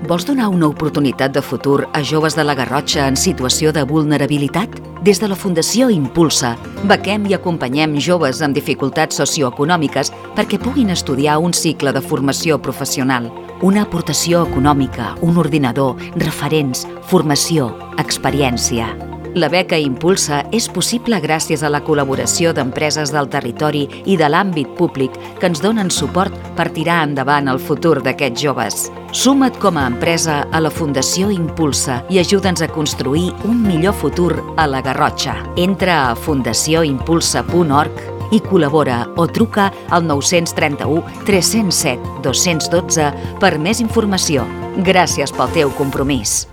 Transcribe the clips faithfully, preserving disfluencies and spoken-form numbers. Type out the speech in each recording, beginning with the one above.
Vols donar una oportunitat de futur a joves de la Garrotxa en situació de vulnerabilitat? Des de la Fundació Impulsa, bequem i acompanyem joves amb dificultats socioeconòmiques perquè puguin estudiar un cicle de formació professional. Una aportació econòmica, un ordinador, referents, formació, experiència. La beca Impulsa és possible gràcies a la col·laboració d'empreses del territori i de l'àmbit públic que ens donen suport per tirar endavant el futur d'aquests joves. Suma't com a empresa a la Fundació Impulsa i ajuda'ns a construir un millor futur a la Garrotxa. Entra a fundació impulsa punt org i col·labora o truca al nou tres u, tres zero set, dos un dos per més informació. Gràcies pel teu compromís.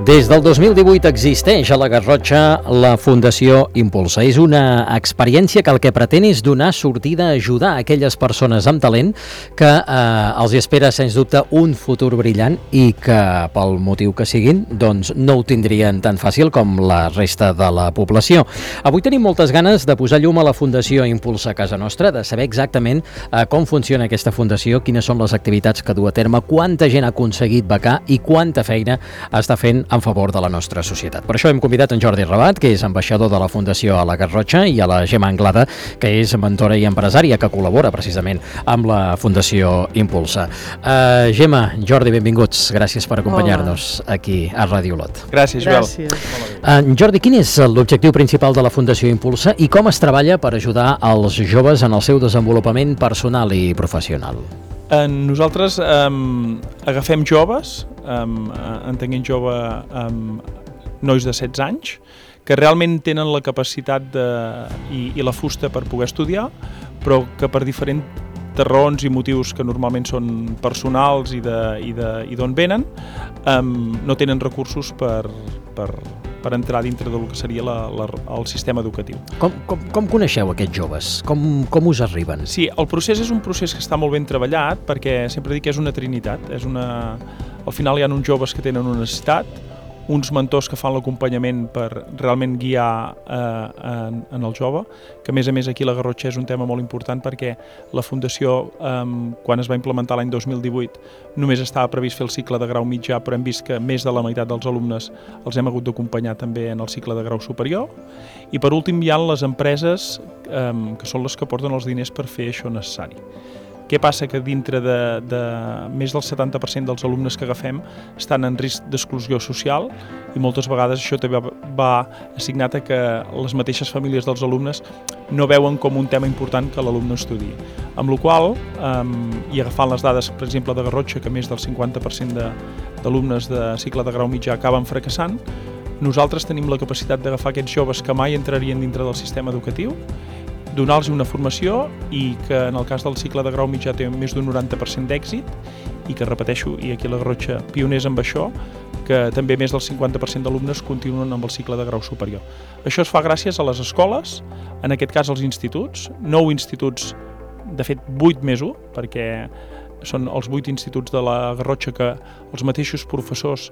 Des del dos mil divuit existeix a la Garrotxa la Fundació Impulsa. És una experiència que el que pretén és donar sortida a ajudar a aquelles persones amb talent que eh, els espera, sens dubte, un futur brillant i que, pel motiu que siguin, doncs no ho tindrien tan fàcil com la resta de la població. Avui tenim moltes ganes de posar llum a la Fundació Impulsa a casa nostra, de saber exactament eh, com funciona aquesta fundació, quines són les activitats que du a terme, quanta gent ha aconseguit becar i quanta feina està fent en favor de la nostra societat. Per això hem convidat en Jordi Rabat, que és ambaixador de la Fundació a la Garrotxa, i a la Gemma Anglada, que és mentora i empresària, que col·labora precisament amb la Fundació Impulsa. Uh, Gemma, Jordi, benvinguts. Gràcies per acompanyar-nos aquí a Ràdio Olot. Gràcies, Joel. Gràcies. Uh, Jordi, quin és l'objectiu principal de la Fundació Impulsa i com es treballa per ajudar els joves en el seu desenvolupament personal i professional? Eh, nosaltres eh, agafem joves, eh, entenguem jove eh, nois de setze anys, que realment tenen la capacitat de, i, i la fusta per poder estudiar, però que per diferents raons i motius que normalment són personals i d'on venen, eh, no tenen recursos per, per, per entrar dintre del que seria la, la, el sistema educatiu. Com, com, com coneixeu aquests joves? Com, com us arriben? Sí, el procés és un procés que està molt ben treballat perquè sempre dic que és una trinitat. És una... Al final hi ha uns joves que tenen una necessitat, uns mentors que fan l'acompanyament per realment guiar eh, en, en el jove, que a més a més aquí a la Garrotxa és un tema molt important perquè la Fundació, eh, quan es va implementar l'any dos mil divuit, només estava previst fer el cicle de grau mitjà, però hem vist que més de la meitat dels alumnes els hem hagut d'acompanyar també en el cicle de grau superior. I per últim hi ha les empreses eh, que són les que porten els diners per fer això necessari. Què passa? Que dintre de, de més del setanta per cent dels alumnes que agafem estan en risc d'exclusió social i moltes vegades això també va assignat a que les mateixes famílies dels alumnes no veuen com un tema important que l'alumne estudi. Amb la qual cosa, eh, i agafant les dades, per exemple, de Garrotxa, que més del cinquanta per cent d'alumnes de, de cicle de grau mitjà acaben fracassant, nosaltres tenim la capacitat d'agafar aquests joves que mai entrarien dintre del sistema educatiu, donar-los una formació i que en el cas del cicle de grau mitjà té més d'un noranta per cent d'èxit i que, repeteixo, i aquí a la Garrotxa pioners amb això, que també més del cinquanta per cent d'alumnes continuen amb el cicle de grau superior. Això es fa gràcies a les escoles, en aquest cas als instituts, nou instituts, de fet vuit més u, perquè són els vuit instituts de la Garrotxa que els mateixos professors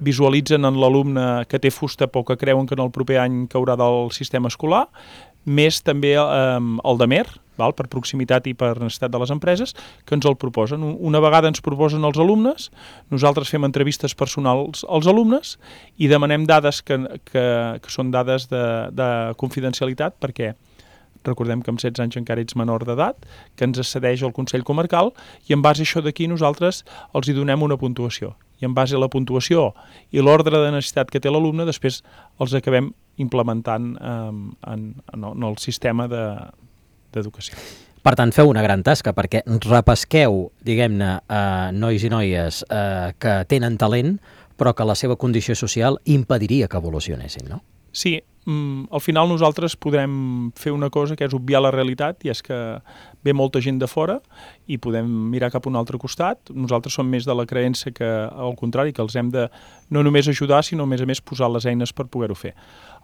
visualitzen en l'alumne que té fusta però que creuen que en el proper any caurà del sistema escolar, més també eh, el DAMER, val, per proximitat i per necessitat de les empreses, que ens el proposen. Una vegada ens proposen els alumnes, nosaltres fem entrevistes personals als alumnes i demanem dades que, que, que són dades de, de confidencialitat, perquè recordem que amb setze anys encara ets menor d'edat, que ens accedeix al Consell Comarcal i en base a això d'aquí nosaltres els hi donem una puntuació. I en base a la puntuació i l'ordre de necessitat que té l'alumne, després els acabem implementant eh, en, en el sistema d'educació. De, per tant, feu una gran tasca, perquè repesqueu, diguem-ne, eh, nois i noies eh, que tenen talent, però que la seva condició social impediria que evolucionessin, no? Sí, al final nosaltres podrem fer una cosa que és obviar la realitat, i és que ve molta gent de fora i podem mirar cap a un altre costat. Nosaltres som més de la creença que, al contrari, que els hem de no només ajudar, sinó a més a més posar les eines per poder-ho fer.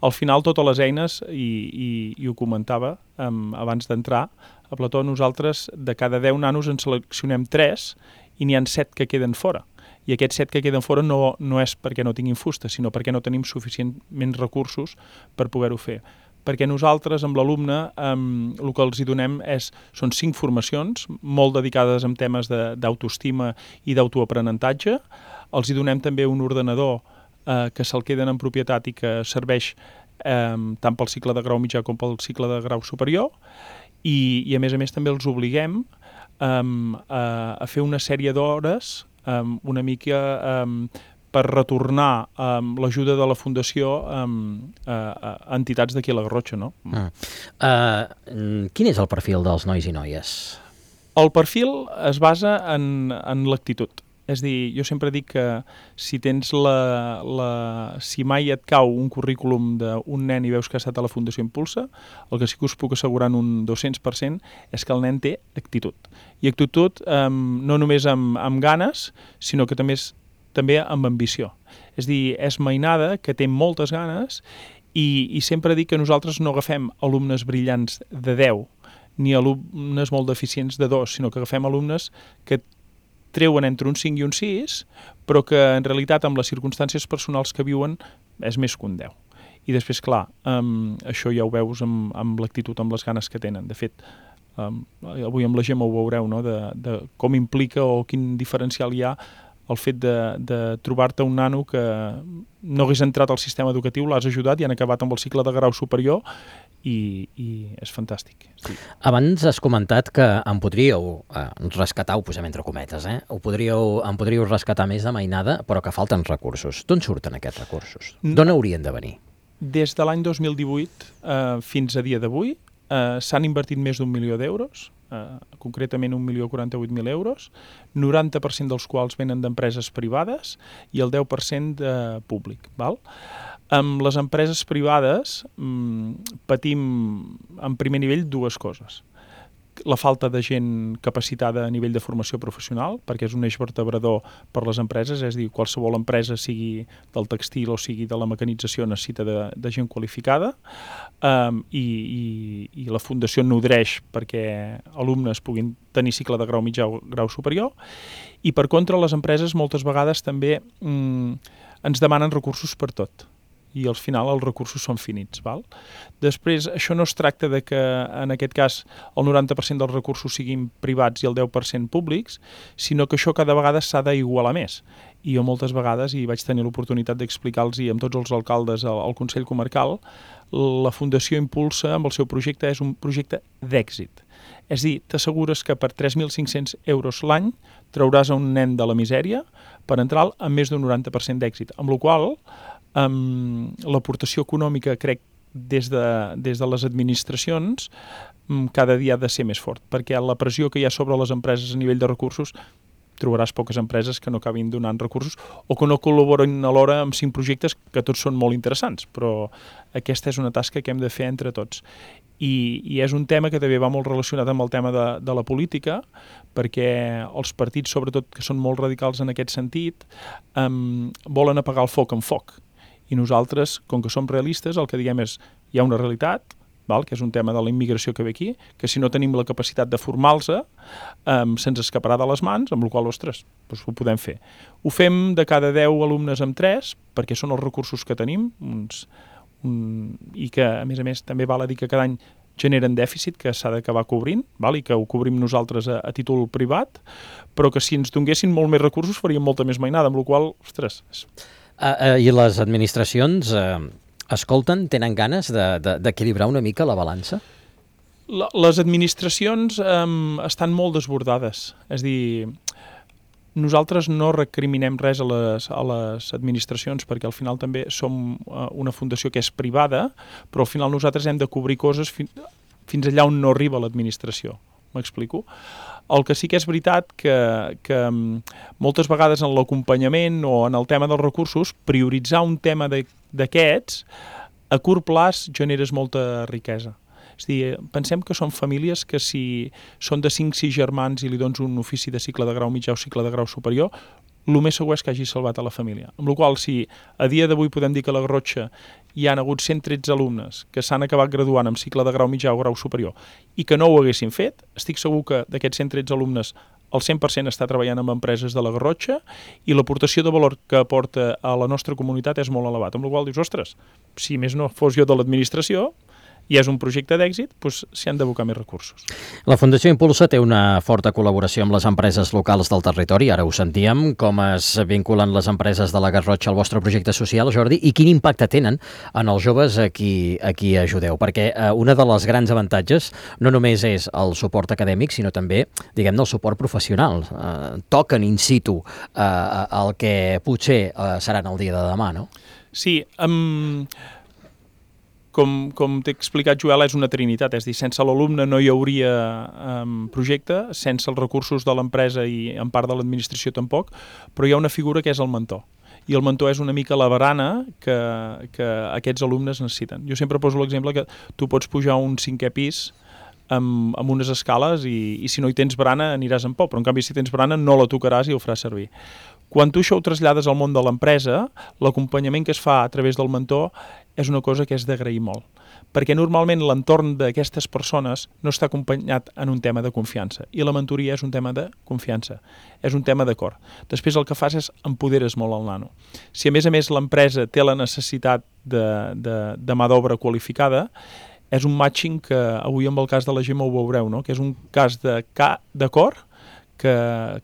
Al final, totes les eines, i, i, i ho comentava um, abans d'entrar a Plató, nosaltres de cada deu nanos en seleccionem tres i n'hi ha set que queden fora. I aquests set que queden fora no, no és perquè no tinguin fusta, sinó perquè no tenim suficientment recursos per poder-ho fer. Perquè nosaltres, amb l'alumne, eh, el que els hi donem és, són cinc formacions, molt dedicades en temes d'autoestima i d'autoaprenentatge. Els hi donem també un ordenador eh, que se'l queden en propietat i que serveix eh, tant pel cicle de grau mitjà com pel cicle de grau superior. I, i a més a més també els obliguem eh, a, a fer una sèrie d'hores eh, una mica eh, per retornar um, l'ajuda de la Fundació um, a, a entitats d'aquí a la Garrotxa, no? Mm. Uh, quin és el perfil dels nois i noies? El perfil es basa en, en l'actitud. És a dir, jo sempre dic que si tens la, la... si mai et cau un currículum d'un nen i veus que ha estat a la Fundació Impulsa, el que sí que us puc assegurar en un dos-cents per cent és que el nen té actitud. I actitud um, no només amb, amb ganes, sinó que també és també amb ambició. És a dir, és mainada, que té moltes ganes i, i sempre dic que nosaltres no agafem alumnes brillants de deu ni alumnes molt deficients de dos, sinó que agafem alumnes que treuen entre un cinc i un sis, però que en realitat amb les circumstàncies personals que viuen és més que un deu. I després, clar, um, això ja ho veus amb, amb l'actitud, amb les ganes que tenen. De fet, um, avui amb la Gemma ho veureu, no? de, de com implica o quin diferencial hi ha el fet de, de trobar-te un nano que no hagués entrat al sistema educatiu, l'has ajudat i han acabat amb el cicle de grau superior i, i és fantàstic. Sí. Abans has comentat que em podríeu eh, rescatar, ho posem entre cometes, eh? Ho podríeu, em podríeu rescatar més de mainada, però que falten recursos. D'on surten aquests recursos? D'on haurien de venir? Des de l'any dos mil divuit eh, fins a dia d'avui eh, s'han invertit més d'un milió d'euros, Uh, concretament un milió quaranta-vuit mil euros, noranta per cent dels quals venen d'empreses privades i el deu per cent de públic. Val? Amb les empreses privades um, patim en primer nivell dues coses. La falta de gent capacitada a nivell de formació professional, perquè és un eix vertebrador per les empreses, és a dir, qualsevol empresa, sigui del textil o sigui de la mecanització, necessita de, de gent qualificada, um, i, i, i la Fundació nodreix perquè alumnes puguin tenir cicle de grau mitjà o grau superior, i per contra les empreses moltes vegades també um, ens demanen recursos per tot. I al final els recursos són finits. Val? Després, això no es tracta de que en aquest cas el noranta per cent dels recursos siguin privats i el deu per cent públics, sinó que això cada vegada s'ha d'igualar més. I jo moltes vegades, i vaig tenir l'oportunitat d'explicar-los i amb tots els alcaldes al, al Consell Comarcal, la Fundació Impulsa amb el seu projecte és un projecte d'èxit. És a dir, t'assegures que per tres mil cinc-cents euros l'any trauràs a un nen de la misèria per entrar amb més d'un noranta per cent d'èxit, amb la qual cosa Um, l'aportació econòmica, crec, des de, des de les administracions um, cada dia ha de ser més fort, perquè la pressió que hi ha sobre les empreses a nivell de recursos, trobaràs poques empreses que no acabin donant recursos o que no col·laboren alhora amb cinc projectes que tots són molt interessants, però aquesta és una tasca que hem de fer entre tots. I, i és un tema que també va molt relacionat amb el tema de, de la política, perquè els partits, sobretot, que són molt radicals en aquest sentit, um, volen apagar el foc amb foc. I nosaltres, com que som realistes, el que diguem és hi ha una realitat, val? Que és un tema de la immigració que ve aquí, que si no tenim la capacitat de formar-los, um, se'ns escaparà de les mans, amb la qual cosa, ostres, doncs ho podem fer. Ho fem de cada deu alumnes amb tres, perquè són els recursos que tenim, uns, un, i que, a més a més, també val a dir que cada any generen dèficit que s'ha d'acabar cobrint, val? I que ho cobrim nosaltres a, a títol privat, però que si ens donguessin molt més recursos faríem molta més mainada, amb la qual cosa, ostres... És... Uh, uh, I les administracions uh, escolten, tenen ganes d'equilibrar de, de, una mica la balança? La, les administracions um, estan molt desbordades. És a dir, nosaltres no recriminem res a les, a les administracions perquè al final també som uh, una fundació que és privada, però al final nosaltres hem de cobrir coses fi, fins allà on no arriba l'administració. M'explico? El que sí que és veritat que, que moltes vegades en l'acompanyament o en el tema dels recursos, prioritzar un tema d'aquests a curt plaç generes molta riquesa. És a dir, pensem que són famílies que si són de cinc sis germans i li dones un ofici de cicle de grau mitjà o cicle de grau superior, el més segur és que hagi salvat a la família. Amb la qual cosa, si a dia d'avui podem dir que a la Garrotxa hi han hagut cent tretze alumnes que s'han acabat graduant amb cicle de grau mitjà o grau superior i que no ho haguessin fet, estic segur que d'aquests cent tretze alumnes el cent per cent està treballant amb empreses de la Garrotxa i l'aportació de valor que aporta a la nostra comunitat és molt elevat, amb la qual cosa dius, ostres, si més no fos jo de l'administració, i és un projecte d'èxit, doncs s'hi han d'abocar més recursos. La Fundació Impulsa té una forta col·laboració amb les empreses locals del territori, ara ho sentíem, com es vinculen les empreses de la Garrotxa al vostre projecte social, Jordi, i quin impacte tenen en els joves a qui, a qui ajudeu, perquè eh, una de les grans avantatges no només és el suport acadèmic, sinó també, diguem-ne, el suport professional. Eh, toquen in situ eh, el que potser eh, seran el dia de demà, no? Sí, amb... Um... Com, com t'he explicat, Joel, és una trinitat, és a dir, sense l'alumne no hi hauria um, projecte, sense els recursos de l'empresa i en part de l'administració tampoc, però hi ha una figura que és el mentor. I el mentor és una mica la barana que, que aquests alumnes necessiten. Jo sempre poso l'exemple que tu pots pujar a un cinquè pis amb, amb unes escales i, i si no hi tens barana aniràs en por, però en canvi si tens barana no la tocaràs i ho faràs servir. Quan tu això ho trasllades al món de l'empresa, l'acompanyament que es fa a través del mentor és una cosa que és d'agrair molt, perquè normalment l'entorn d'aquestes persones no està acompanyat en un tema de confiança, i la mentoria és un tema de confiança, és un tema d'acord. Després el que fas és empoderes molt el nano. Si a més a més l'empresa té la necessitat de, de, de mà d'obra qualificada, és un matching que avui amb el cas de la Gemma ho veureu, no? Que és un cas de ca, d'acord que,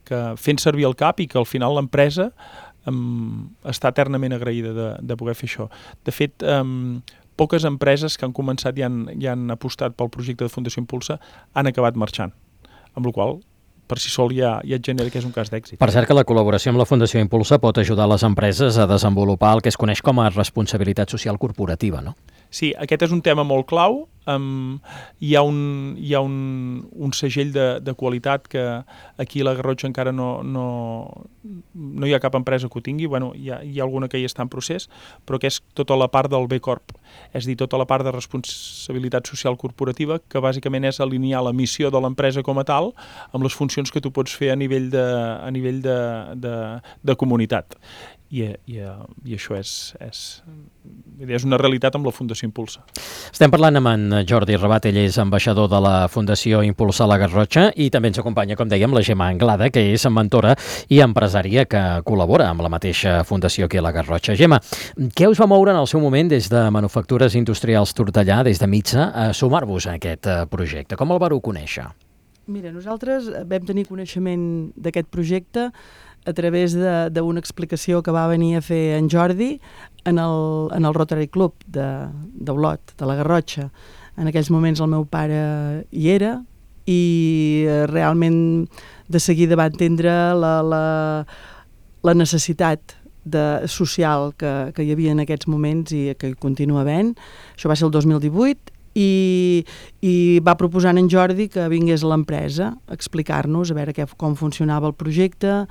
que fent servir el cap i que al final l'empresa Um, està eternament agraïda de, de poder fer això. De fet, um, poques empreses que han començat i han, i han apostat pel projecte de Fundació Impulsa han acabat marxant, amb la qual per si sol ja, ja et genera que és un cas d'èxit. Per cert que la col·laboració amb la Fundació Impulsa pot ajudar les empreses a desenvolupar el que es coneix com a responsabilitat social corporativa, no? Sí, aquest és un tema molt clau. Um, hi ha un, hi ha un, un segell de, de qualitat que aquí a la Garrotxa encara no, no, no hi ha cap empresa que ho tingui. Bueno, hi ha, hi ha alguna que hi està en procés, però que és tota la part del B Corp, és a dir, tota la part de responsabilitat social corporativa, que bàsicament és alinear la missió de l'empresa com a tal amb les funcions que tu pots fer a nivell de, a nivell de, de, de comunitat. I, i, i això és, és, és una realitat amb la Fundació Impulsa. Estem parlant amb en Jordi Rabat, ell és ambaixador de la Fundació Impulsa a la Garrotxa i també ens acompanya, com dèiem, la Gemma Anglada, que és mentora i empresària que col·labora amb la mateixa fundació aquí a la Garrotxa. Gemma, què us va moure en el seu moment des de Manufactures Industrials Tortellà, des de Mitsa, a sumar-vos a aquest projecte? Com el vareu conèixer? Mira, nosaltres vam tenir coneixement d'aquest projecte a través d'una explicació que va venir a fer en Jordi en el, en el Rotary Club d'Olot, de, de la Garrotxa. En aquells moments el meu pare hi era i realment de seguida va entendre la, la, la necessitat de, social que, que hi havia en aquests moments i que hi continua havent. Això va ser el dos mil divuit i, i va proposar en Jordi que vingués a l'empresa a explicar-nos a veure què, com funcionava el projecte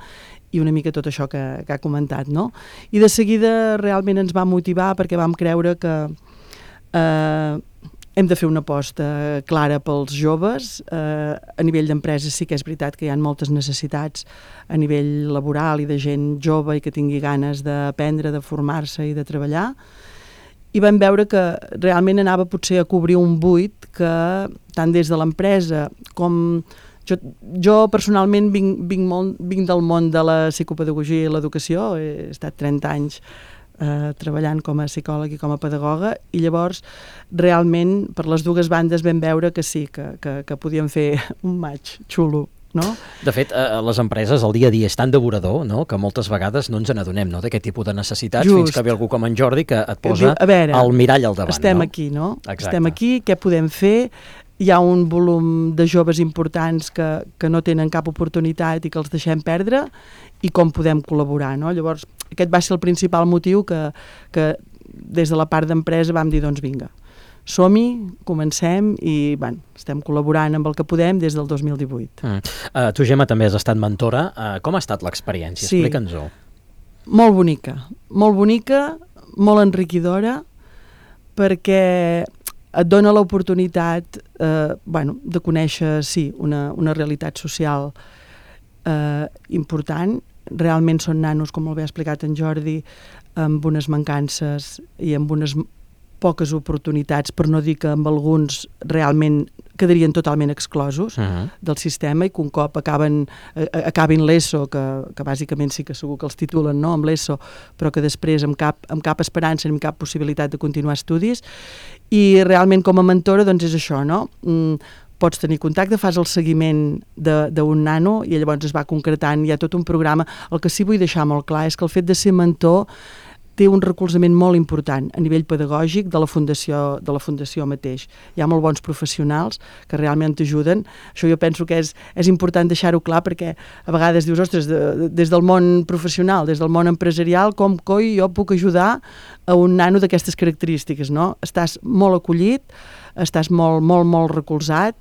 i una mica tot això que, que ha comentat, no? I de seguida realment ens va motivar perquè vam creure que eh, hem de fer una aposta clara pels joves. Eh, a nivell d'empreses sí que és veritat que hi ha moltes necessitats a nivell laboral i de gent jove i que tingui ganes d'aprendre, de formar-se i de treballar. I vam veure que realment anava potser a cobrir un buit que tant des de l'empresa com... Jo, jo personalment vinc, vinc, molt, vinc del món de la psicopedagogia i l'educació, he estat trenta anys eh, treballant com a psicòleg i com a pedagoga i llavors realment per les dues bandes vam veure que sí, que, que, que podíem fer un match xulo. No? De fet, a les empreses el dia a dia és tan devorador, no?, que moltes vegades no ens n'adonem, no?, d'aquest tipus de necessitats. Just. Fins que ve algú com en Jordi que et posa a veure, el mirall al davant. Estem no? aquí, no? Exacte. Estem aquí, què podem fer? Hi ha un volum de joves importants que, que no tenen cap oportunitat i que els deixem perdre i com podem col·laborar, no? Llavors, aquest va ser el principal motiu que, que des de la part d'empresa vam dir, doncs vinga, som-hi, comencem i bueno, estem col·laborant amb el que podem des del dos mil divuit. Mm. Uh, tu, Gemma, també has estat mentora. Uh, com ha estat l'experiència? Sí. Explica'ns-ho. Molt bonica, molt bonica, molt enriquidora, perquè et dona l'oportunitat eh, bueno, de conèixer, sí, una, una realitat social eh, important. Realment són nanos, com molt bé ha explicat en Jordi, amb unes mancances i amb unes poques oportunitats, per no dir que amb alguns realment quedarien totalment exclosos uh -huh. del sistema i que un cop acaben, eh, acabin l'ESO, que, que bàsicament sí que segur que els titulen, no?, amb l'ESO, però que després amb cap, amb cap esperança ni amb cap possibilitat de continuar estudis. I realment com a mentora doncs és això, no? Mm, pots tenir contacte, fas el seguiment d'un nano i llavors es va concretant, hi ha tot un programa. El que sí vull deixar molt clar és que el fet de ser mentor té un recolzament molt important a nivell pedagògic de la fundació, de la fundació mateix. Hi ha molt bons professionals que realment t'ajuden. Això jo penso que és, és important deixar-ho clar perquè a vegades dius, ostres, de, des del món professional, des del món empresarial, com coi jo puc ajudar a un nano d'aquestes característiques, no? Estàs molt acollit, estàs molt, molt, molt recolzat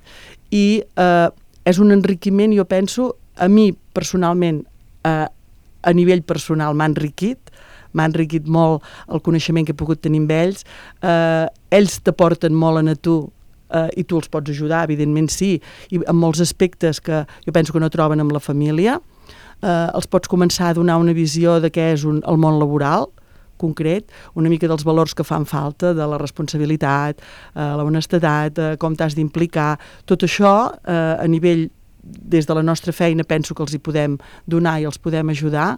i eh, és un enriquiment, jo penso, a mi personalment, eh, a nivell personal m'ha enriquit, m'ha enriquit molt el coneixement que he pogut tenir amb ells. Eh, ells t'aporten molt a tu eh, i tu els pots ajudar, evidentment sí, i en molts aspectes que jo penso que no troben amb la família. Eh, els pots començar a donar una visió de què és un, el món laboral concret, una mica dels valors que fan falta, de la responsabilitat, eh, la honestedat, eh, com t'has d'implicar. Tot això, eh, a nivell, des de la nostra feina, penso que els hi podem donar i els podem ajudar.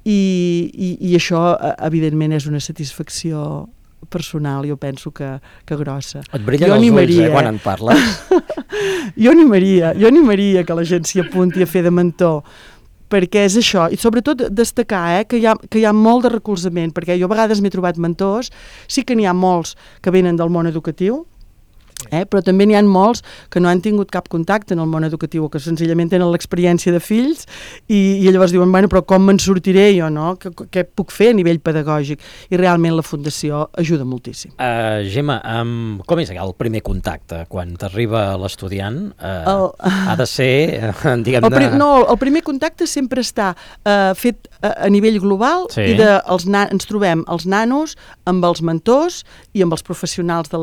I, i, i això, evidentment, és una satisfacció personal, jo penso que, que grossa. Et brillen els ulls, eh, quan en parles. jo animaria, jo animaria que la gent s'hi apunti a fer de mentor, perquè és això, i sobretot destacar eh, que, hi ha, que hi ha molt de recolzament, perquè jo a vegades m'he trobat mentors, sí que n'hi ha molts que venen del món educatiu, Eh? però també n'hi ha molts que no han tingut cap contacte en el món educatiu o que senzillament tenen l'experiència de fills i, i llavors diuen, bueno, però com me'n sortiré jo, no? Què, què puc fer a nivell pedagògic? I realment la Fundació ajuda moltíssim. Uh, Gemma, um, com és el primer contacte? Quan t'arriba l'estudiant, uh, el... ha de ser, uh, diguem-ne... Pri... No, el primer contacte sempre està uh, fet a, a nivell global sí. i de, els na... ens trobem els nanos amb els mentors i amb els professionals de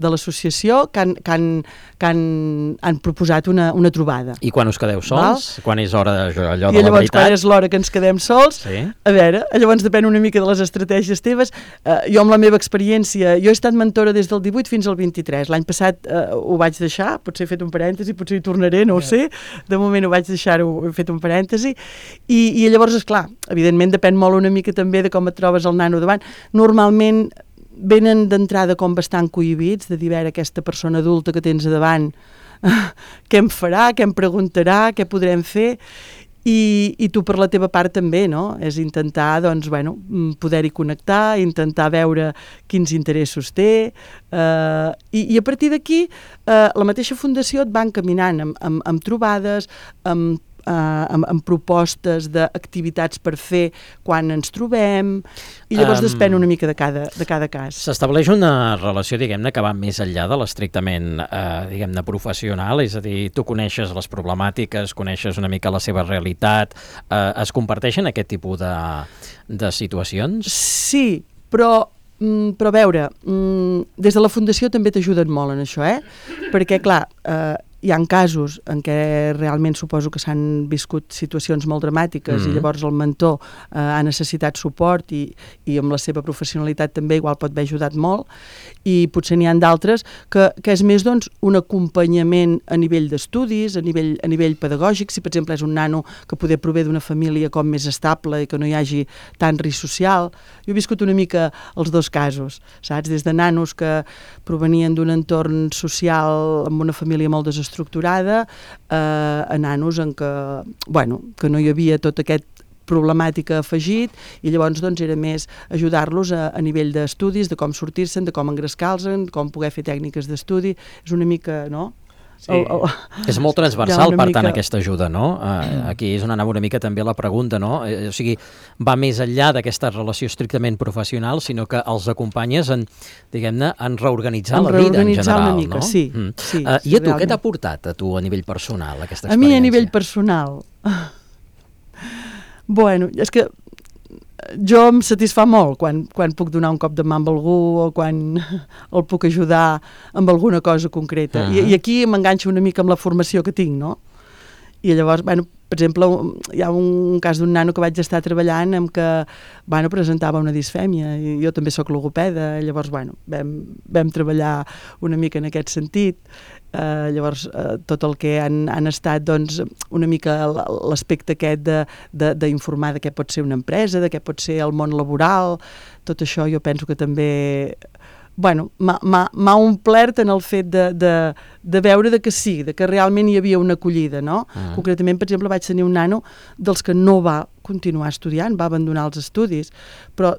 l'associació la, de que, han, que, han, que han, han proposat una, una trobada. I quan us quedeu sols? Val? Quan és hora de, allò I de la llavors, veritat? quan és l'hora que ens quedem sols, sí. a veure, llavors depèn una mica de les estratègies teves. Uh, jo amb la meva experiència, jo he estat mentora des del divuit fins al vint-i-tres. L'any passat uh, ho vaig deixar, potser he fet un parèntesi, potser hi tornaré, no ho sé. De moment ho vaig deixar-ho, he fet un parèntesi. I, i llavors, esclar, evidentment depèn molt una mica també de com et trobes el nano davant. Normalment venen d'entrada com bastant cohibits, de dir, a veure, aquesta persona adulta que tens a davant, què em farà, què em preguntarà, què podrem fer, i, i tu per la teva part també, no? És intentar, doncs, bueno, poder-hi connectar, intentar veure quins interessos té, eh, i, i a partir d'aquí eh, la mateixa fundació et va encaminant amb, amb, amb trobades, amb Uh, amb, amb propostes d'activitats per fer quan ens trobem, i llavors um, depèn una mica de cada, de cada cas. S'estableix una relació, diguem-ne, que va més enllà de l'estrictament, eh, diguem-ne, professional, és a dir, tu coneixes les problemàtiques, coneixes una mica la seva realitat, eh, es comparteixen aquest tipus de, de situacions? Sí, però Mm, però a veure, mm, des de la Fundació també t'ajuden molt en això, eh? Perquè, clar, eh, hi ha casos en què realment suposo que s'han viscut situacions molt dramàtiques mm-hmm. i llavors el mentor eh, ha necessitat suport i, i amb la seva professionalitat també igual pot haver ajudat molt, i potser n'hi ha d'altres que, que és més, doncs, un acompanyament a nivell d'estudis, a nivell, a nivell pedagògic. Si per exemple és un nano que poder prové d'una família com més estable i que no hi hagi tant risc social. Jo he viscut una mica els dos casos, saps? Des de nanos que provenien d'un entorn social amb una família molt desestructurada, eh, a nanos en què, bueno, que no hi havia tot aquest problemàtica afegit, i llavors doncs era més ajudar-los a, a nivell d'estudis, de com sortir-se'n, de com engrescar-se'n, com poder fer tècniques d'estudi. És una mica, no? Sí. El, el... És molt transversal, per mica... tant, aquesta ajuda, no? Uh, aquí és on anava una mica també la pregunta, no? Eh, o sigui, va més enllà d'aquesta relació estrictament professional, sinó que els acompanyes en, diguem-ne, en reorganitzar en la vida en general, una mica, no? Sí, mm. sí. Uh, I a tu, realment. què t'ha portat a tu a nivell personal, aquesta experiència? A mi a nivell personal... Bueno, és que jo em satisfà molt quan, quan puc donar un cop de mà amb algú o quan el puc ajudar amb alguna cosa concreta. Uh-huh. I, I aquí m'enganxo una mica amb la formació que tinc, no? I llavors, bueno, per exemple, hi ha un cas d'un nano que vaig estar treballant amb que, bueno, presentava una disfèmia, i jo també sóc logopeda, llavors, bueno, vam, vam treballar una mica en aquest sentit. Uh, llavors, uh, tot el que han, han estat, doncs, una mica l'aspecte aquest de, de, d'informar de què pot ser una empresa, de què pot ser el món laboral, tot això jo penso que també... Bueno, m'ha omplert en el fet de, de, de veure de que sí, de que realment hi havia una acollida, no? Uh-huh. Concretament, per exemple, vaig tenir un nano dels que no va continuar estudiant, va abandonar els estudis, però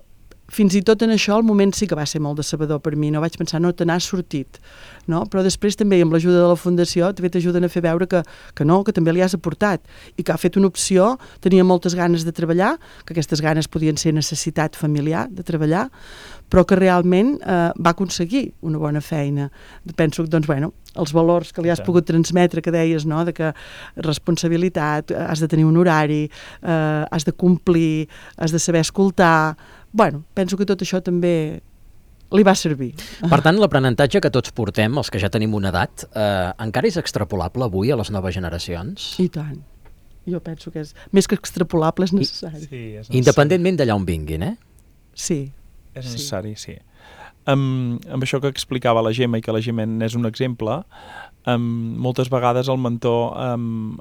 fins i tot en això el moment sí que va ser molt decebedor per mi, no vaig pensar, no, te n'has sortit, no? Però després també amb l'ajuda de la Fundació també t'ajuden a fer veure que, que no, que també li has aportat i que ha fet una opció, tenia moltes ganes de treballar, que aquestes ganes podien ser necessitat familiar de treballar, però que realment eh, va aconseguir una bona feina. Penso que, doncs, bueno, els valors que li has sí. pogut transmetre, que deies, no?, de que responsabilitat, has de tenir un horari, eh, has de complir, has de saber escoltar... Bueno, penso que tot això també li va servir. Per tant, l'aprenentatge que tots portem, els que ja tenim una edat, eh, encara és extrapolable avui a les noves generacions? I tant. Jo penso que és més que extrapolable, és necessari. Sí, és necessari. Independentment d'allà on vinguin, eh? Sí. És necessari, sí. sí. Um, amb això que explicava la Gemma i que la Gemma és un exemple, um, moltes vegades el mentor um,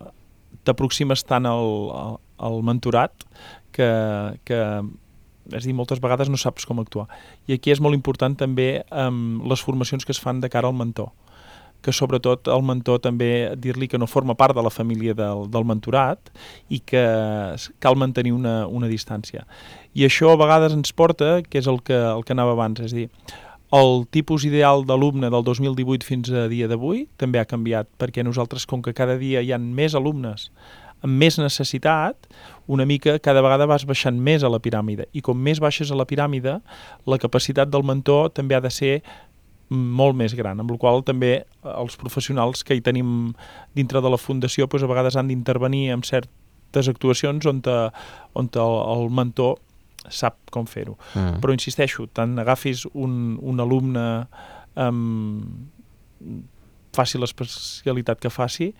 t'aproximes tant al, al, al mentorat que... que és a dir, moltes vegades no saps com actuar. I aquí és molt important també um, les formacions que es fan de cara al mentor, que sobretot el mentor també dir-li que no forma part de la família del, del mentorat i que cal mantenir una, una distància. I això a vegades ens porta, que és el que, el que anava abans, és a dir, el tipus ideal d'alumne del dos mil divuit fins a dia d'avui també ha canviat, perquè nosaltres, com que cada dia hi ha més alumnes amb més necessitat, una mica cada vegada vas baixant més a la piràmide. I com més baixes a la piràmide, la capacitat del mentor també ha de ser molt més gran, amb la qual també els professionals que hi tenim dintre de la Fundació doncs a vegades han d'intervenir en certes actuacions on, te, on te el, el mentor sap com fer-ho. Mm. Però insisteixo, tant agafis un, un alumne um, faci l'especialitat que faci,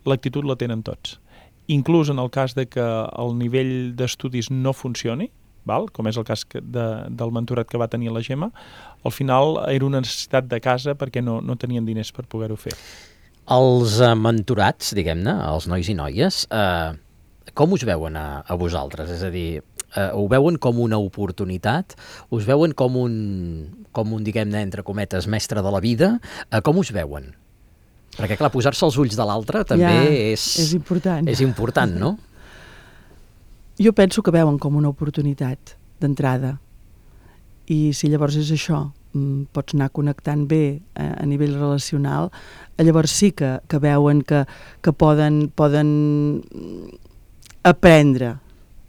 l'actitud la tenen tots. Inclús en el cas de que el nivell d'estudis no funcioni, val? Com és el cas que de, del mentorat que va tenir la Gemma, al final era una necessitat de casa perquè no, no tenien diners per poder-ho fer. Els uh, mentorats, diguem-ne, els nois i noies, uh, com us veuen a, a vosaltres? És a dir, uh, ho veuen com una oportunitat? Us veuen com un, com un diguem-ne, entre cometes, mestre de la vida? Uh, com us veuen? Perquè, clar, posar-se els ulls de l'altre també ja, és, és important. És important, no? Jo penso que veuen com una oportunitat d'entrada. I si llavors és això, pots anar connectant bé a, a nivell relacional, llavors sí que, que veuen que, que poden, poden aprendre,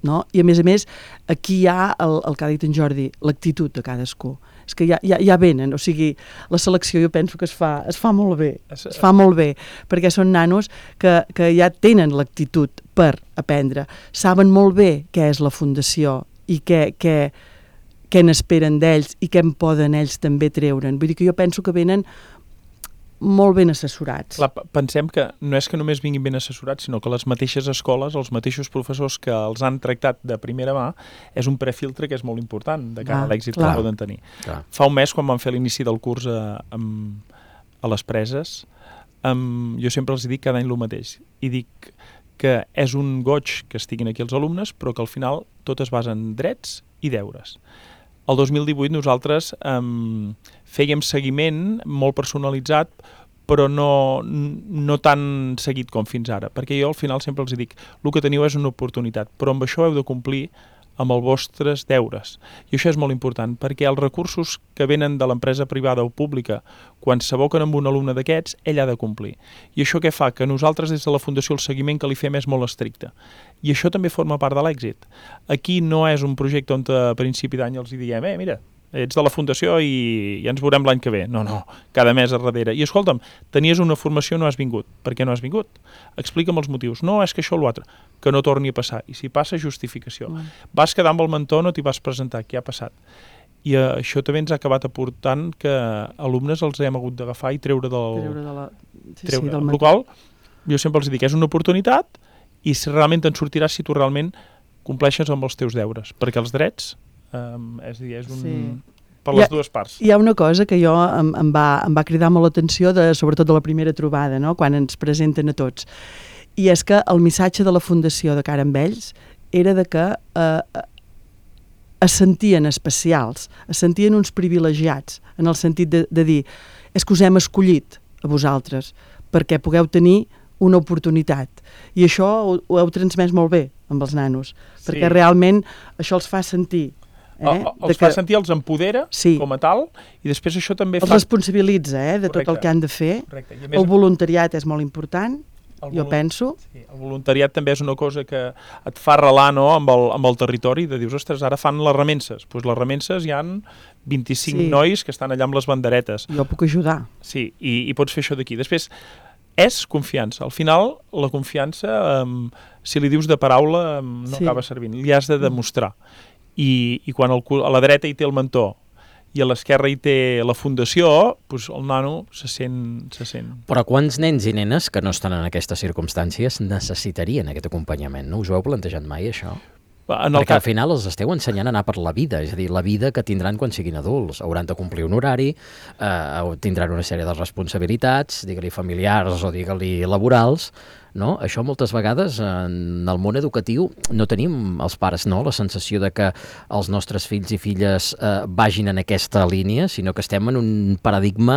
no? I a més a més, aquí hi ha el, el que ha dit en Jordi, l'actitud de cadascú. És que ja, ja, ja venen, o sigui, la selecció jo penso que es fa, es fa molt bé, es fa molt bé, perquè són nanos que, que ja tenen l'actitud per aprendre, saben molt bé què és la Fundació i què, què, què n'esperen d'ells i què en poden ells també treure'n. Vull dir que jo penso que venen molt ben assessorats. Clar, pensem que no és que només vinguin ben assessorats, sinó que les mateixes escoles, els mateixos professors que els han tractat de primera mà, és un prefiltre que és molt important de cara ah, a l'èxit que poden tenir. Clar. Fa un mes, quan vam fer l'inici del curs a, a, a les preses, um, jo sempre els dic cada any el mateix. I dic que és un goig que estiguin aquí els alumnes, però que al final tot es basa en drets i deures. El dos mil divuit nosaltres um, fèiem seguiment molt personalitzat, però no, no tan seguit com fins ara, perquè jo al final sempre els dic, el que teniu és una oportunitat, però amb això heu de complir amb els vostres deures. I això és molt important, perquè els recursos que venen de l'empresa privada o pública, quan s'aboquen amb un alumne d'aquests, ell ha de complir. I això què fa? Que nosaltres des de la Fundació el seguiment que li fem és molt estricte. I això també forma part de l'èxit. Aquí no és un projecte on a principi d'any els diem, eh, mira, ets de la Fundació i ja ens veurem l'any que ve. No, no, cada mes a darrere. I escolta'm, tenies una formació, no has vingut. Per què no has vingut? Explica'm els motius. No, és que això o l'altre. Que no torni a passar. I si passa, justificació. Mm. Vas quedar amb el mentor, no t'hi vas presentar. Què ha passat? I uh, això també ens ha acabat aportant que alumnes els hem hagut d'agafar i treure del... Treure de la... Sí, treure. sí, del mentor. Qual, jo sempre els dic, és una oportunitat i si realment te'n sortiràs si tu realment compleixes amb els teus deures, perquè els drets eh, és, dir, és un... Sí. per les ha, dues parts. Hi ha una cosa que jo em, em, va, em va cridar molt l'atenció, de, sobretot de la primera trobada, no? Quan ens presenten a tots, i és que el missatge de la Fundació de cara amb ells era de que eh, es sentien especials, es sentien uns privilegiats, en el sentit de, de dir, és que us hem escollit a vosaltres perquè pugueu tenir una oportunitat. I això ho, ho heu transmès molt bé amb els nanos, sí. perquè realment això els fa sentir. Eh? El, els que... fa sentir, els empodera sí. com a tal, i després això també els fa... Els responsabilitza eh, de Correcte. Tot el que han de fer. Més... El voluntariat és molt important, el jo penso. Sí, el voluntariat també és una cosa que et fa arrelar, no?, amb, el, amb el territori, de dius, ostres, ara fan les remenses. Doncs pues les remenses hi han vint-i-cinc sí. nois que estan allà amb les banderetes. Jo puc ajudar. Sí, i, i pots fer això d'aquí. Després, és confiança. Al final, la confiança, um, si li dius de paraula, um, no sí. acaba servint. Li has de demostrar. I, i quan el, a la dreta hi té el mentor i a l'esquerra hi té la fundació, doncs el nano se sent, se sent... Però quants nens i nenes que no estan en aquestes circumstàncies necessitarien aquest acompanyament? No us ho heu plantejat mai, això? En el Perquè cap... al final els esteu ensenyant a anar per la vida, és a dir, la vida que tindran quan siguin adults. Hauran de complir un horari, eh, tindran una sèrie de responsabilitats, digue-li familiars o digue-li laborals, no? Això moltes vegades en el món educatiu no tenim els pares, no?, la sensació de que els nostres fills i filles eh, vagin en aquesta línia, sinó que estem en un paradigma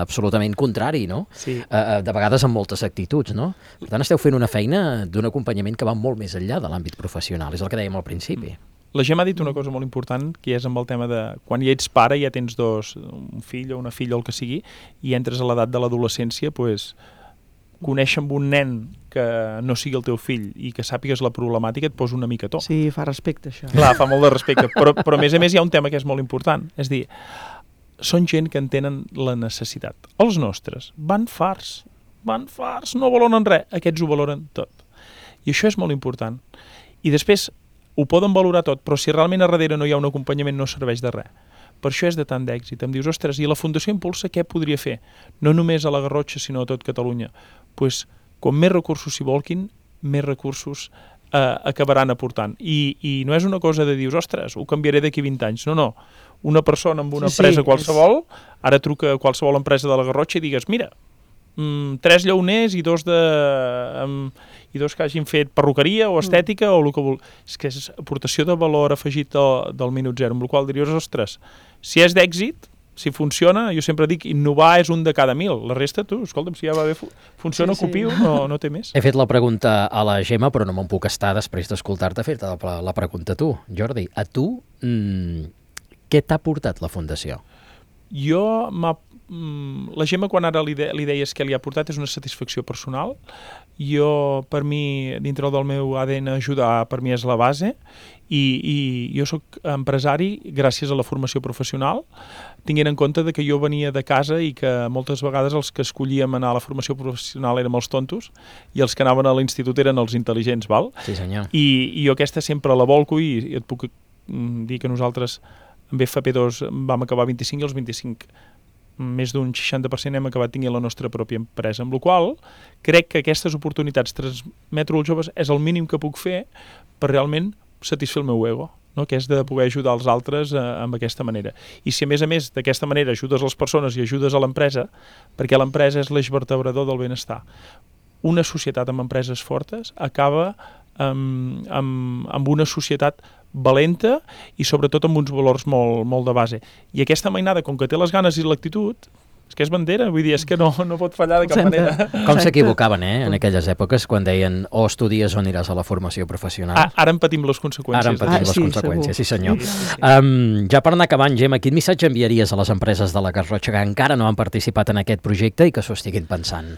absolutament contrari, no? Sí. Eh, de vegades amb moltes actituds, no? Per tant, esteu fent una feina d'un acompanyament que va molt més enllà de l'àmbit professional, és el que dèiem al principi. La Gemma ha dit una cosa molt important, que és amb el tema de quan ja ets pare, ja tens dos, un fill o una filla o el que sigui, i entres a l'edat de l'adolescència, doncs, conèixer amb un nen que no sigui el teu fill i que sàpigues la problemàtica et posa una mica a to. Sí, fa respecte, això. Clar, fa molt de respecte, però, però a més a més hi ha un tema que és molt important, és dir, són gent que entenen la necessitat. Els nostres van farts, van farts, no valoren res, aquests ho valoren tot. I això és molt important. I després ho poden valorar tot, però si realment a darrere no hi ha un acompanyament no serveix de res. Per això és de tant d'èxit. Em dius, ostres, i la Fundació Impulsa què podria fer? No només a la Garrotxa, sinó a tot Catalunya. Doncs, pues, com més recursos s'hi volquin, més recursos eh, acabaran aportant. I, I no és una cosa de dir, ostres, ho canviaré d'aquí vint anys. No, no. Una persona amb una sí, empresa sí, qualsevol, és... ara truca a qualsevol empresa de la Garrotxa i digues, mira, mm, tres llauners i dos de... Um, i dos que hagin fet perruqueria o estètica mm. o el que vol... És que és aportació de valor afegit del, del minut zero, amb el qual diries, ostres, si és d'èxit, si funciona, jo sempre dic, innovar és un de cada mil. La resta, tu, escolta'm, si ja va bé, funciona, sí, copio, sí. no, no té més. He fet la pregunta a la Gemma, però no me'n puc estar després d'escoltar-te fer-te la, la pregunta a tu. Jordi, a tu, mmm, què t'ha portat la Fundació? Jo, la Gemma, quan ara li, de, li deies que li ha portat, és una satisfacció personal. Jo, per mi, dintre del meu A D N, ajudar per mi és la base, i, i jo sóc empresari gràcies a la formació professional, tinguent en compte de que jo venia de casa i que moltes vegades els que escollíem anar a la formació professional érem els tontos i els que anaven a l'institut eren els intel·ligents, val? Sí, senyor. I, i jo aquesta sempre la volco i, i et puc dir que nosaltres amb F P dos vam acabar vint-i-cinc i els vint-i-cinc més d'un seixanta per cent hem acabat tinguent la nostra pròpia empresa, amb la qual crec que aquestes oportunitats transmetre als joves és el mínim que puc fer per realment satisfer el meu ego, no? Que és de poder ajudar els altres eh, amb aquesta manera. I si a més a més d'aquesta manera ajudes les persones i ajudes a l'empresa, perquè l'empresa és l'eix vertebrador del benestar. Una societat amb empreses fortes acaba amb, amb, amb una societat valenta i sobretot amb uns valors molt, molt de base. I aquesta mainada, com que té les ganes i l'actitud, és que és bandera, vull dir, és que no, no pot fallar de cap manera. Com s'equivocaven, eh, en aquelles èpoques, quan deien o estudies o aniràs a la formació professional. Ah, ara en patim les conseqüències. Ara en patim ah, les sí, conseqüències, segur. sí senyor. Sí, sí, sí. Um, ja per anar acabant, Gemma, quin missatge enviaries a les empreses de la Garrotxa que encara no han participat en aquest projecte i que s'ho estiguin pensant?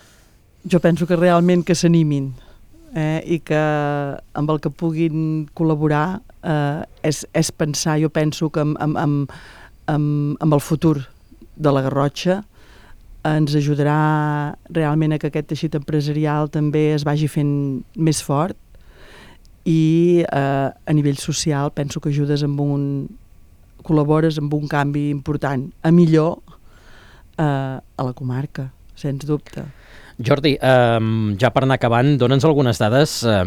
Jo penso que realment que s'animin eh, i que amb el que puguin col·laborar eh, és, és pensar, jo penso que amb, amb, amb, amb, amb el futur de la Garrotxa ens ajudarà realment a que aquest teixit empresarial també es vagi fent més fort i eh, a nivell social penso que ajudes amb un... col·labores amb un canvi important, a millor eh, a la comarca, sens dubte. Jordi, eh, ja per anar acabant, dona'ns algunes dades eh,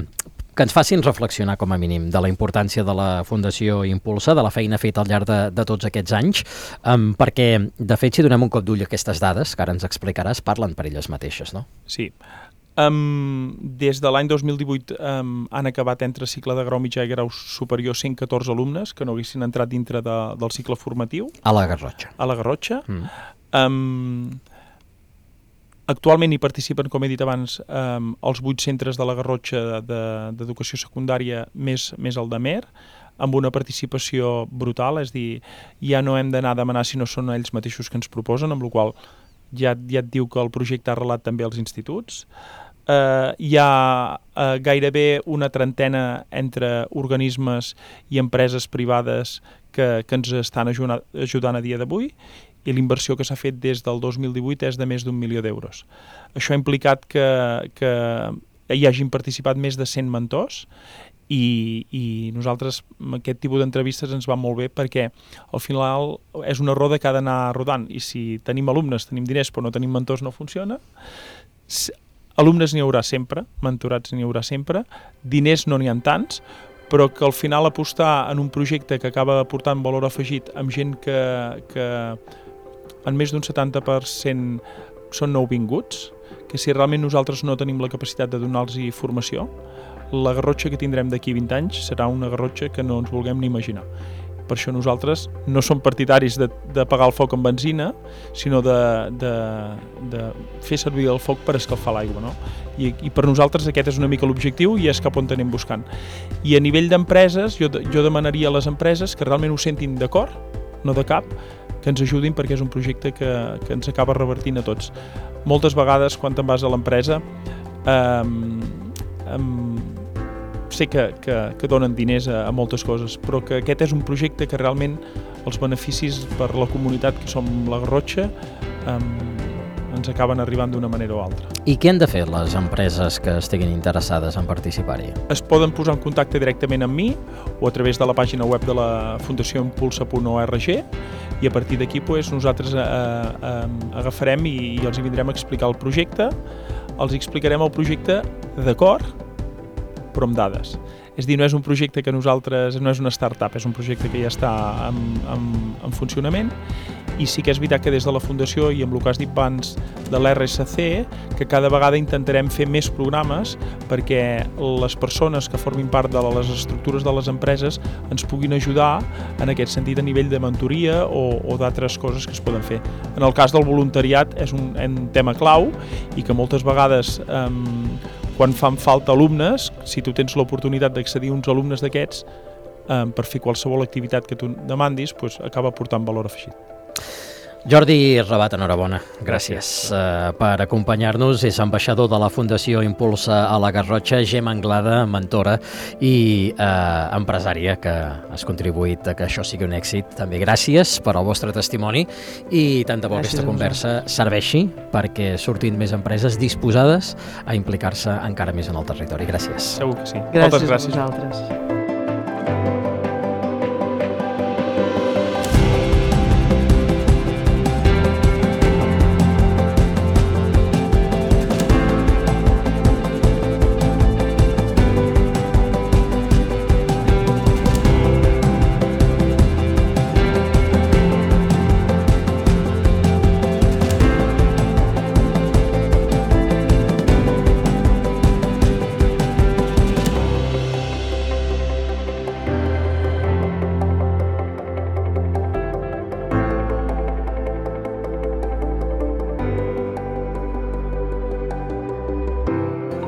que ens facin reflexionar com a mínim de la importància de la Fundació Impulsa, de la feina feta al llarg de, de tots aquests anys, um, perquè, de fet, si donem un cop d'ull a aquestes dades, que ara ens explicaràs, parlen per elles mateixes, no? Sí. Um, des de l'any dos mil divuit um, han acabat entre cicle de grau mitjà i grau superior cent catorze alumnes que no haguessin entrat dintre de, del cicle formatiu. A la Garrotxa. A la Garrotxa. Mm. Um, Actualment hi participen, com he dit abans, eh, els vuit centres de la Garrotxa d'educació de, secundària més, més el de Mer, amb una participació brutal, és a dir, ja no hem d'anar a demanar si no són ells mateixos que ens proposen, amb la qual ja, ja et diu que el projecte ha arrelat també als instituts. Eh, hi ha eh, gairebé una trentena entre organismes i empreses privades que, que ens estan ajudant, ajudant a dia d'avui, i l'inversió que s'ha fet des del dos mil divuit és de més d'un milió d'euros. Això ha implicat que, que hi hagin participat més de cent mentors i, i nosaltres aquest tipus d'entrevistes ens va molt bé perquè al final és una roda que ha d'anar rodant i si tenim alumnes, tenim diners però no tenim mentors no funciona. Alumnes n'hi haurà sempre, mentorats n'hi haurà sempre, diners no n'hi ha tants, però que al final apostar en un projecte que acaba aportant valor afegit amb gent que, que en més d'un setanta per cent són nouvinguts, que si realment nosaltres no tenim la capacitat de donar-los formació, la Garrotxa que tindrem d'aquí vint anys serà una Garrotxa que no ens vulguem ni imaginar. Per això nosaltres no som partidaris de, de pagar el foc amb benzina, sinó de, de, de fer servir el foc per escalfar l'aigua, no? I, I per nosaltres aquest és una mica l'objectiu i és cap on anem buscant. I a nivell d'empreses, jo, jo demanaria a les empreses que realment ho sentin de cor, no de cap, que ens ajudin perquè és un projecte que, que ens acaba revertint a tots. Moltes vegades, quan te'n vas a l'empresa, eh, eh, sé que, que, que donen diners a, a moltes coses, però que aquest és un projecte que realment els beneficis per la comunitat que som la Garrotxa eh, ens acaben arribant d'una manera o altra. I què han de fer les empreses que estiguin interessades en participar-hi? Es poden posar en contacte directament amb mi o a través de la pàgina web de la fundació impulsa punt org i a partir d'aquí pues, nosaltres eh, eh, agafarem i, i els hi vindrem a explicar el projecte. Els explicarem el projecte d'acord, però amb dades. És a dir, no és un projecte que nosaltres, no és una startup, és un projecte que ja està en, en, en funcionament i sí que és veritat que des de la Fundació i amb el que has dit abans de l'R S C, que cada vegada intentarem fer més programes perquè les persones que formin part de les estructures de les empreses ens puguin ajudar en aquest sentit a nivell de mentoria o, o d'altres coses que es poden fer. En el cas del voluntariat és un, un tema clau i que moltes vegades eh, quan fan falta alumnes, si tu tens l'oportunitat d'accedir a uns alumnes d'aquests eh, per fer qualsevol activitat que tu demandis, pues, acaba portant valor afegit. Jordi Rabat, enhorabona. Gràcies uh, per acompanyar-nos. És ambaixador de la Fundació Impulsa a la Garrotxa, Gemma Anglada, mentora i uh, empresària que has contribuït a que això sigui un èxit. També gràcies per al vostre testimoni i tant de bo aquesta conversa serveixi perquè surtin més empreses disposades a implicar-se encara més en el territori. Gràcies. Segur que sí. Gràcies, Moltes gràcies a vosaltres.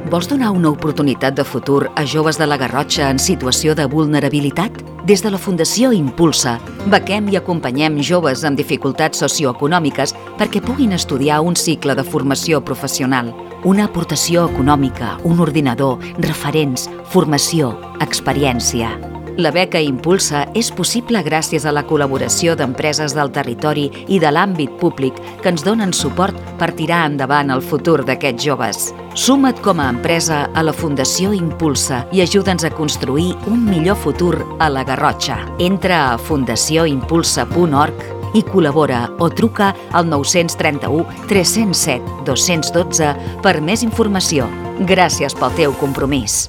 Vols donar una oportunitat de futur a joves de la Garrotxa en situació de vulnerabilitat? Des de la Fundació Impulsa, bequem i acompanyem joves amb dificultats socioeconòmiques perquè puguin estudiar un cicle de formació professional. Una aportació econòmica, un ordinador, referents, formació, experiència. La beca Impulsa és possible gràcies a la col·laboració d'empreses del territori i de l'àmbit públic que ens donen suport per tirar endavant el futur d'aquests joves. Suma't com a empresa a la Fundació Impulsa i ajuda'ns a construir un millor futur a la Garrotxa. Entra a fundació impulsa punt org i col·labora o truca al nou tres u, tres zero set, dos un dos per més informació. Gràcies pel teu compromís.